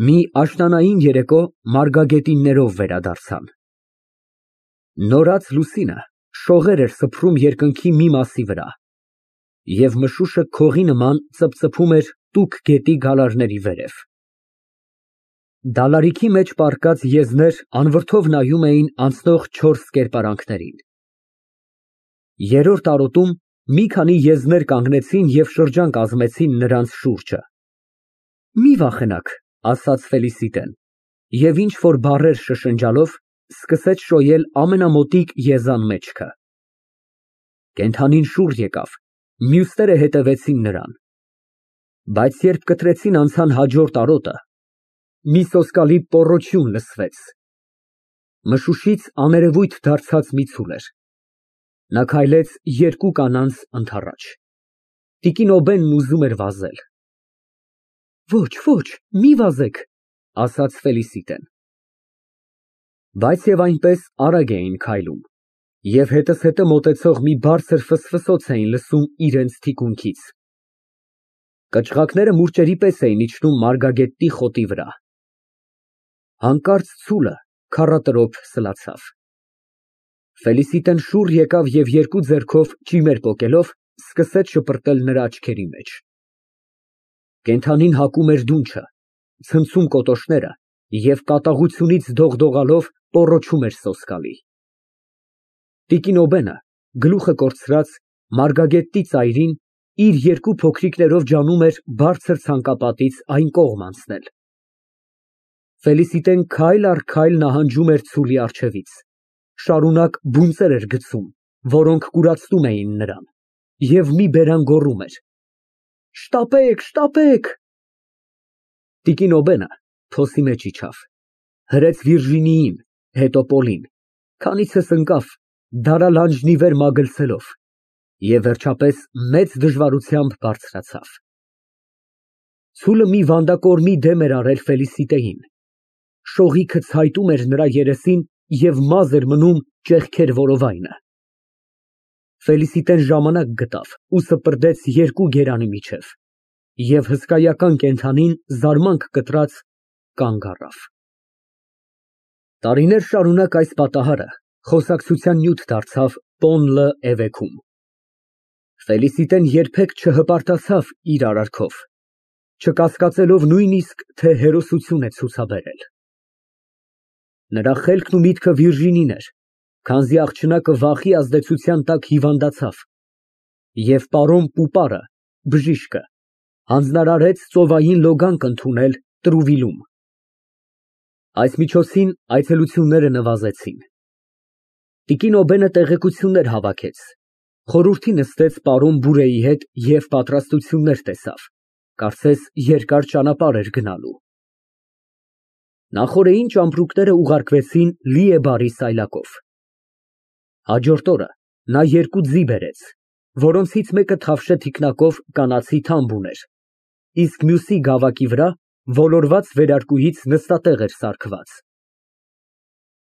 Մի աշնանային երեկո մարգագետիններով վերադարձան։ Նորաց լուսինը շողեր էր սփռում երկնքի մի մասի վրա, և մշուշը քողի նման ծպծփում էր տուք գետի գալարների վերև։ Դալարիքի մեջ պառկած եզներ անվրդով նայում էին անցնող չորս կերպարանքներին։ Երրորդ արոտում մի քանի եզներ կանգնեցին և շրջան կազմեցին նրանց շուրջը։ Մի վախենաք, ասաց Ֆելիսիտեն, և ինչ֊որ բառեր շշնջալով սկսեց շոյել ամենամոտիկ եզան մեջքը։ Կենդանին շուռ եկավ, մյուսները հետևեցին նրան։ Բայց երբ կտրեցին անցան հաջորդ արոտը, մի սոսկալի պոռոչյուն լսվեց։ Մշուշից աներևույթ դարձած մի ցուլ էր։ Նա քայլեց երկու կանանց ընդառաջ։ Տիկին Օբենն ուզում էր վազել։ Ոչ, մի վազեք, ասաց Ֆելիսիտեն։ Բայց և այնպես արագ էին քայլում, և հետզհետե մոտեցող մի բարձր ֆսֆսոց էին լսում իրենց թիկունքից։ Կչղակները մուրճերի պես էին իջնում մարգագետի խոտի վրա։ Հանկարծ ցուլը քառատրոփ սլացավ։ Ֆելիսիտեն շուռ եկավ և երկու ձեռքով ճիմեր պոկելով սկսեց շպրտել նրա աչքերի մեջ։ Կենդանին հակում էր դունչը, ցնցում կոտոշները և կատաղությունից դողդողալով պոռոչում էր սոսկալի։ Տիկին Օբենը, գլուխը կորցրած, մարգագետի ծայրին, իր երկու փոքրիկներով ջանում էր բարձր ցանկապատից այն կողմ անցնել։ Ֆելիսիտեն քայլ առ քայլ նահանջում էր ցուլի առջևից, շարունակ բունծեր էր գցում, որոնք կուրացնում էին նրան, և մի բերան գոռում էր. Շտապեք։ Տիկին Օբենը փոսի մեջ իջավ, հրեց Վիրջինիին, հետո Պոլին, քանիցս ընկավ, դարալանջն ի վեր մագլցելով, և վերջապես մեծ դժվարությամբ բարձրացավ։ Ցուլը մի վանդակորմի դեմ էր արել Ֆելիսիտեին, շողիքը ցայտում էր նրա երեսին և մազ էր մնում ճեղքեր որովայնը։ Ֆելիսիտեն ժամանակ գտավ ու սպրդեց երկու գերանի միջև, և հսկայական կենդանին զարմանք կտրած կանգ առավ։ Տարիներ շարունակ այս պատահարը խոսակցության նյութ դարձավ Պոն Լը֊Էվեքում։ Ֆելիսիտեն երբեք չհպարտացավ իր արարքով, չկասկածելով նույնիսկ, թե հերոսություն է ցուցաբերել։ Նրա խելքն ու միտքը Վիրջինին էր, քանզի աղջնակը վախի ազդեցության տակ հիվանդացավ, և պարոն Պուպարը, բժիշկը, հանձնարարեց ծովային լոգանք ընդունել Տրուվիլում։ Այս միջոցին այցելությունները նվազեցին։ Տիկին Օբենը տեղեկություններ հավաքեց, խորհրդի նստեց պարոն Բուրեի հետ և պատրաստություններ տեսավ, կարծես երկար ճանապարհ էր գնալու։ Նախօրեին ճամպրուկները ուղարկվեցին Լիեբարի սայլակով։ Հաջորդ օրը նա երկու ձի բերեց, որոնցից մեկը թավշե թիկնակով կանացի թամբ ուներ, իսկ մյուսի գավակի վրա ոլորված վերարկուից նստատեղ էր սարքված։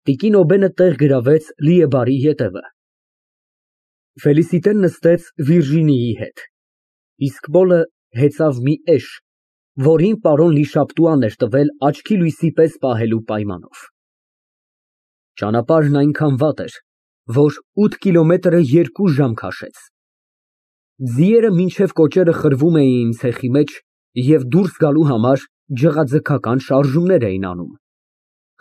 Տիկին Օբենը տեղ գրավեց Լիեբարի ետևը։ Ֆելիսիտեն նստեց Վիրջինիի հետ, իսկ Պոլը հեծավ մի էշ, որին պարոն Լիշապտուան էր տվել աչքի լույսի պես պահելու պայմանով։ Ճանապարհն այնքան վատ էր, որ 8 կիլոմետրը 2 ժամ քաշեց։ Ձիերը մինչև կոճերը խրվում էին ցեխի մեջ և դուրս գալու համար ջղաձգական շարժումներ էին անում,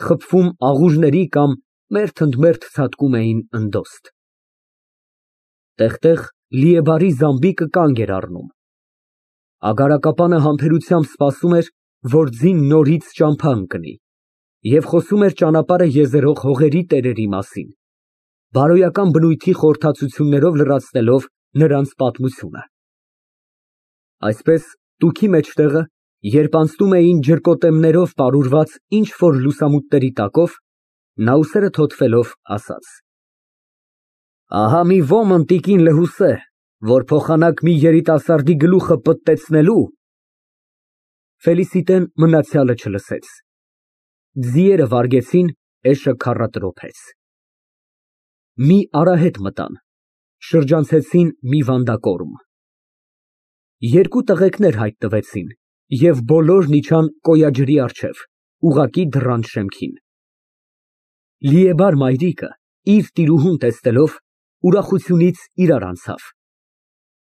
խփվում աղուրների կամ մերթ ընդ մերթ ցատկում էին ընդոստ։ Տեղ֊տեղ Լիեբարի զամբիկը կանգ էր առնում։ Ագարակապանը համբերությամբ սպասում էր, որ ձին նորից ճամփա ընկնի, և խոսում էր ճանապարհը եզերող հողերի տերերի մասին, բարոյական բնույթի խորհրդածություններով լրացնելով նրանց պատմությունը։ Այսպես տուքի մեջտեղը, երբ անցնում էին ջրկոտեմներով պարուրված ինչ֊որ լուսամուտների տակով, նա ուսերը թոթվելով ասաց. Ահա մի ոմն տիկին լհուսե, որ փոխանակ մի երիտասարդի գլուխը պտտեցնելու… Ֆելիսիտեն մնացյալը չլսեց։ Ձիերը վարգեցին, էշը քառատրոփեց։ Մի արահետ մտան, շրջանցեցին մի վանդակորմ։ Երկու տղեկներ հայտնվեցին, Եվ բոլորն իջան կոյաջրի առջև, ուղղակի դռան շեմքին։ Լիեբար մայրիկը, իր տիրուհուն տեսնելով, ուրախությունից իրար անցավ։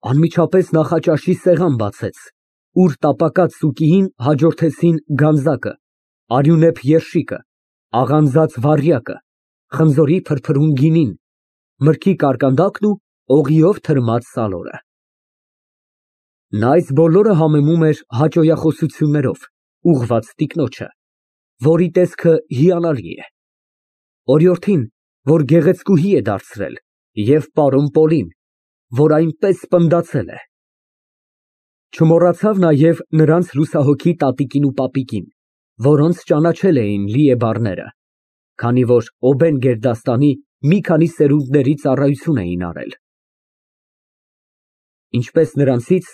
Անմիջապես նախաճաշի սեղան բացեց, ուր տապակած սուկիին հաջորդեցին գանձակը, արյունեփ երշիկը, աղանձած վառյակը, խնձորի փրփրուն գինին, մրգի կարկանդակն ու օղիով թրմած սալորը։ Նա այս բոլորը համեմում էր հաճոյախոսություններով, ուղղված տիկնոջը, որի տեսքը հիանալի է, օրիորդին, որ գեղեցկուհի է դարձրել, և պարոն Պոլին, որ այնպես պնդացել է։ Չմոռացավ նաև նրանց լուսահոգի տատիկին ու պապիկին, որոնց ճանաչել էին լիեբարները, քանի որ Օբեն֊Գերդաստանի մի քանի սերունդների ծառայություն էին արել։ Ինչպես նրանցից,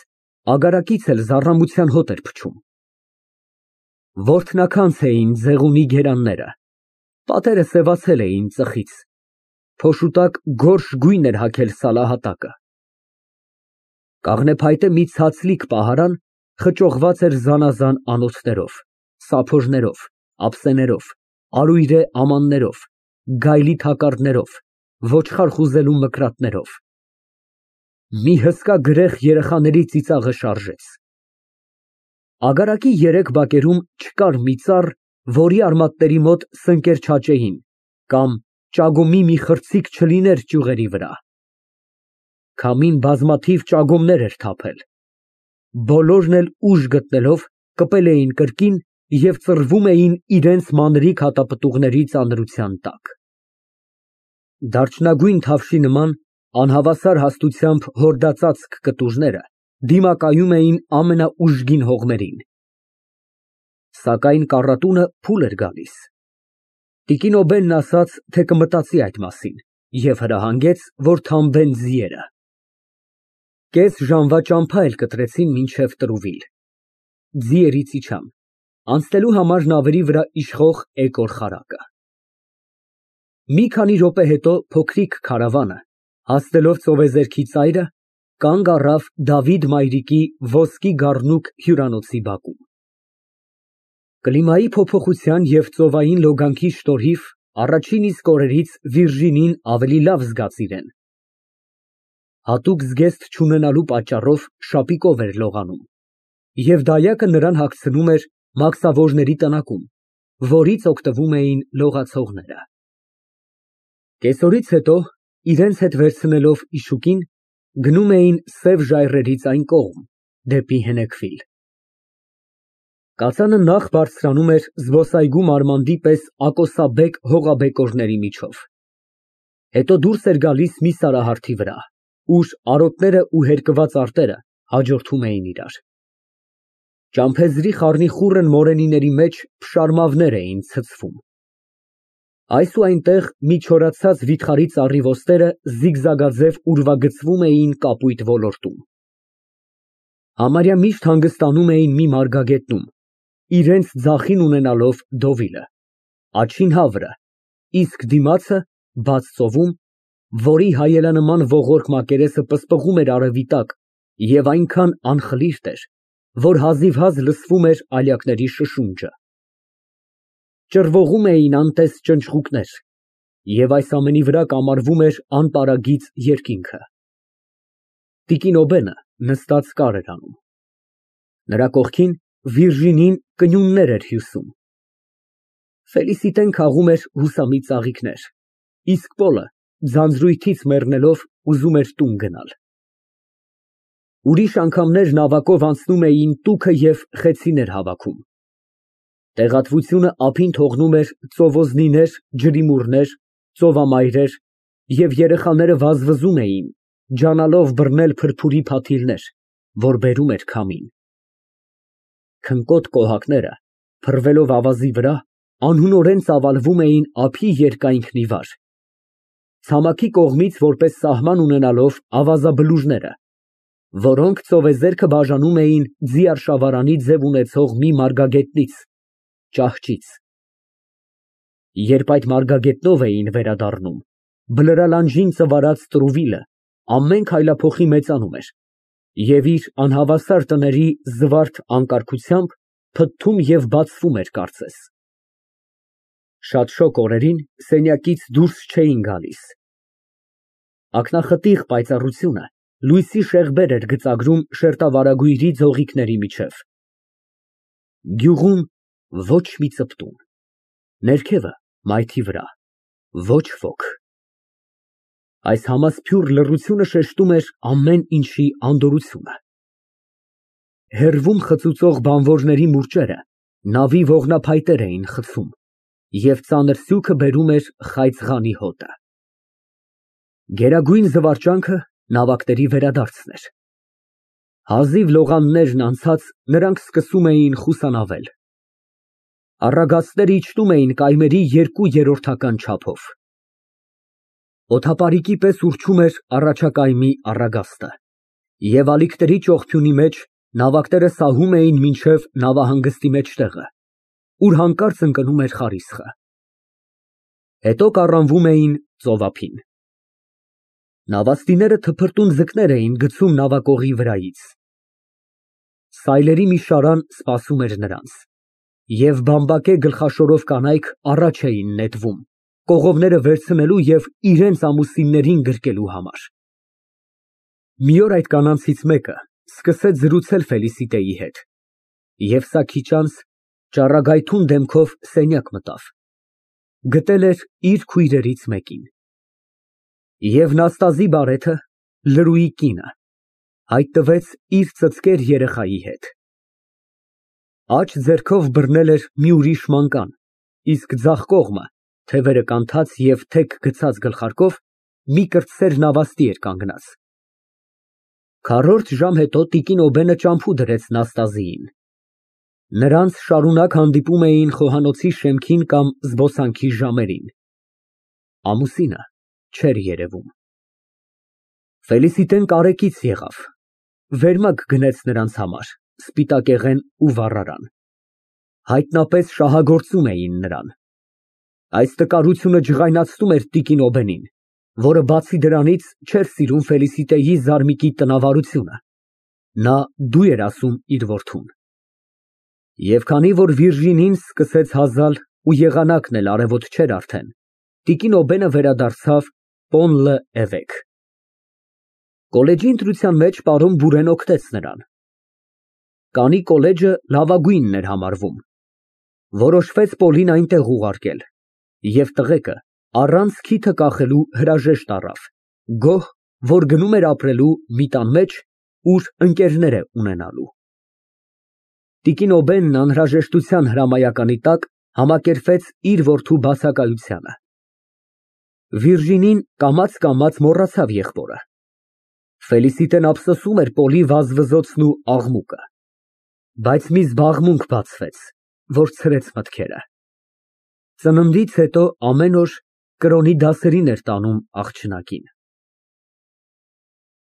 ագարակից էլ զառամության հոտ էր փչում։ Որդնաքանց էին ձեղունի գերանները, պատերը սևացել էին ծխից, փոշու տակ գորշ գույն էր հագել սալահատակը։ Կաղնեփայտե մի ցածլիկ պահարան խճողված էր զանազան անոթներով, սափորներով, ափսեներով, արույրե ամաններով, գայլի թակարդներով, ոչխար խուզելու մկրատներով։ Մի հսկա գրեխ երեխաների ծիծաղը շարժեց։ Ագարակի երեք բակերում չկար մի ծառ, որի արմատների մոտ սնկեր չաճեին, կամ ճագոմի մի խրցիկ չլիներ ճյուղերի վրա։ Քամին բազմաթիվ ճագոմներ էր թափել։ Բոլորն էլ ուժ գտնելով կպել էին կրկին և ծռվում էին իրենց մանրիկ հատապտուղների ծանրության տակ։ Դարչնագույն թավշի նման անհավասար հաստությամբ հորդածածկ կտուժները դիմակայում էին ամենաուժգին հողմերին։ Սակայն կառատունը փուլ էր գալիս։ Տիկին Օբենն ասաց, թե կմտածի այդ մասին և հրահանգեց, որ թամբեն ձիերը։ Կես ժամվա ճամփա էլ կտրեցին մինչև Տրուվիլ։ Ձիերից իջան, անցնելու համար նավերի վրա իշխող էկոր խարակը։ Մի քանի րոպե հետո փոքրիկ քարավանը, հասնելով ծովեզերքի ծայրը, կանգ առավ Դավիթ մայրիկի ոսկի գառնուկ հյուրանոցի բակում։ Կլիմայի փոփոխության և ծովային լոգանքի շնորհիվ առաջին իսկ օրերից Վիրջինին ավելի լավ զգաց իրեն։ Հատուկ զգեստ չունենալու պատճառով շապիկով էր լողանում, և դայակը նրան հագցնում էր մաքսավորների տնակում, որից օգտվում էին լողացողները։ Կեսօրից հետո, իրենց հետ վերցնելով իշուկին, գնում էին սև ժայռերից այն կողմ, դեպի Հենեքվիլ։ Կածանը նախ բարձրանում էր զբոսայգու մարմանդի պես ակոսաբեկ հողաբեկորների միջով, հետո դուրս էր գալիս մի սարահարթի վրա, ուր արոտները ու հերկված արտերը հաջորդում էին իրար։ Ճամփեզի խառնիխուռն մորենիների մեջ փշարմավներ էին ցցվում։ Այս ու այնտեղ մի չորացած վիթխարի ծառի ոստերը զիգզագաձև ուրվագծվում էին կապույտ ոլորտում։ Համարյա միշտ հանգստանում էին մի մարգագետնում, իրենց ձախին ունենալով Դովիլը, աջին հավրը, իսկ դիմացը բաց ծովում, որի հայելանման ողորկ մակերեսը պսպղում էր արևի տակ և այնքան անխլիրտ էր, որ հազիվհազ լսվում էր ալյակների շշունջը։ Ճռվողում էին անտես ճնճղուկներ, և այս ամենի վրա կամարվում էր անպարագիծ երկինքը։ Տիկին Օբենը նստած կար էր անում։ Նրա կողքին Վիրջինին կնյուններ էր հյուսում։ Ֆելիսիտեն քաղում էր հուսամի ծաղիկներ, իսկ Պոլը ձանձրույթից մեռնելով ուզում էր տուն գնալ։ Ուրիշ անգամներ նավակով անցնում էին տուփը և խեցիներ հավաքում։ Տեղատվությունը ափին թողնում էր ծովոզնիներ, ջրիմուռներ, ծովամայրեր, և երեխաները վազվզում էին, ջանալով բռնել փրփուրի փաթիլներ, որ բերում էր քամին։ Քնկոտ կոհակները, փռվելով ավազի վրա, անհունորեն ծավալվում էին ափի երկայնքն ի վար, ցամաքի կողմից որպես սահման ունենալով ավազաբլուժները, որոնք ծովեզերքը բաժանում էին ձիարշավարանի ձև ունեցող մի մարգագետնից, ճահճից։ Երբ այդ մարգագետնով էին վերադառնում, բլրալանջին ծվարած Տրուվիլը ամեն քայլափոխի մեծանում էր, Եվ իր անհավասար տների զվարթ անկարգությամբ փթթում և բացվում էր կարծես։ Շատ շոգ օրերին սենյակից դուրս չէին գալիս։ Ակնախտիղ պայծառությունը լույսի շեղբեր էր գծագրում շերտավարագույրի ձողիկների միջև։ Գյուղում ոչ մի ծպտուն, ներքևը մայթի վրա ոչ ոք։ Այս համասփյուռ լռությունը շեշտում էր ամեն ինչի անդորրությունը։ Հեռվում խծուծող բանվորների մուրճերը նավի ողնափայտեր էին խցում, և ծանր սյուքը բերում էր խայծղանի հոտը։ Գերագույն զվարճանքը նավակների վերադարձն էր։ Հազիվ լողաններն անցած, նրանք սկսում էին խուսանավել։ Առագաստները իջնում էին կայմերի 2/3 չափով։ Օդապարիկի պես ուռչում էր առաջակայմի առագաստը, և ալիքների ճողփյունի մեջ նավակները սահում էին մինչև նավահանգստի մեջտեղը, ուր հանկարծ ընկնում էր խարիսխը։ Հետո կառանվում էին ծովափին։ Նավաստիները թփրտուն ձկներ էին գցում նավակողի վրայից։ Սայլերի մի շարան սպասում էր նրանց, և բամբակե գլխաշորով կանայք առաջ էին նետվում, կողովները վերցնելու և իրենց ամուսիններին գրկելու համար։ Մի օր այդ կանանցից մեկը սկսեց զրուցել Ֆելիսիտեի հետ, և սա քիչ անց ճառագայթուն դեմքով սենյակ մտավ, գտել էր իր քույրերից մեկին։ Եվ Նաստազի բարեթը, Լրուի կինը, հայտնվեց իր ծծկեր երեխայի հետ։ Աջ ձեռքով բռնել էր մի ուրիշ մանկան, իսկ ձախ կողմը, թևերը կանթած և թեք գցած գլխարկով, մի կրտսեր նավաստի էր կանգնած։ Քառորդ ժամ հետո տիկին Օբենը ճամփու դրեց Նաստազիին։ Նրանց շարունակ հանդիպում էին խոհանոցի շեմքին կամ զբոսանքի ժամերին։ Ամուսինը չէր երևում։ Ֆելիսիտեն կարեկից եղավ, վերմակ գնեց նրանց համար, սպիտակեղեն ու վառարան։ Հայտնապես շահագործում էին նրան։ Այս տկարությունը ջղայնացնում էր տիկին Օբենին, որը բացի դրանից չէր սիրում Ֆելիսիտեի զարմիկի տնավարությունը։ Նա դու էր ասում իր որդուն։ Եվ քանի որ Վիրջինին սկսեց հազալ ու եղանակն էլ արևոտ չէր արդեն, տիկին Օբենը վերադարձավ Պոն լը֊Էվեկ։ Կոլեջի ընտրության մեջ պարոն Բուրեն օգնեց նրան։ Կանի կոլեջը լավագույնն էր համարվում։ Որոշվեց Պոլին այնտեղ ուղարկել, և տղեկը առանց քիթը կախելու հրաժեշտ առավ, գոհ, որ գնում էր ապրելու մի տան մեջ, ուր ընկերներ է ունենալու։ Տիկին Օբենն անհրաժեշտության հրամայականի տակ համակերպվեց իր որդու բացակայությանը։ Վիրջինին կամաց մոռացավ եղբորը։ Ֆելիսիտեն ափսոսում էր Պոլի վազվզոցն ու աղմուկը, բայց մի զբաղմունք բացվեց, որ ցրեց մտքերը։ Ծննդից հետո ամեն օր կրոնի դասերին էր տանում աղջնակին։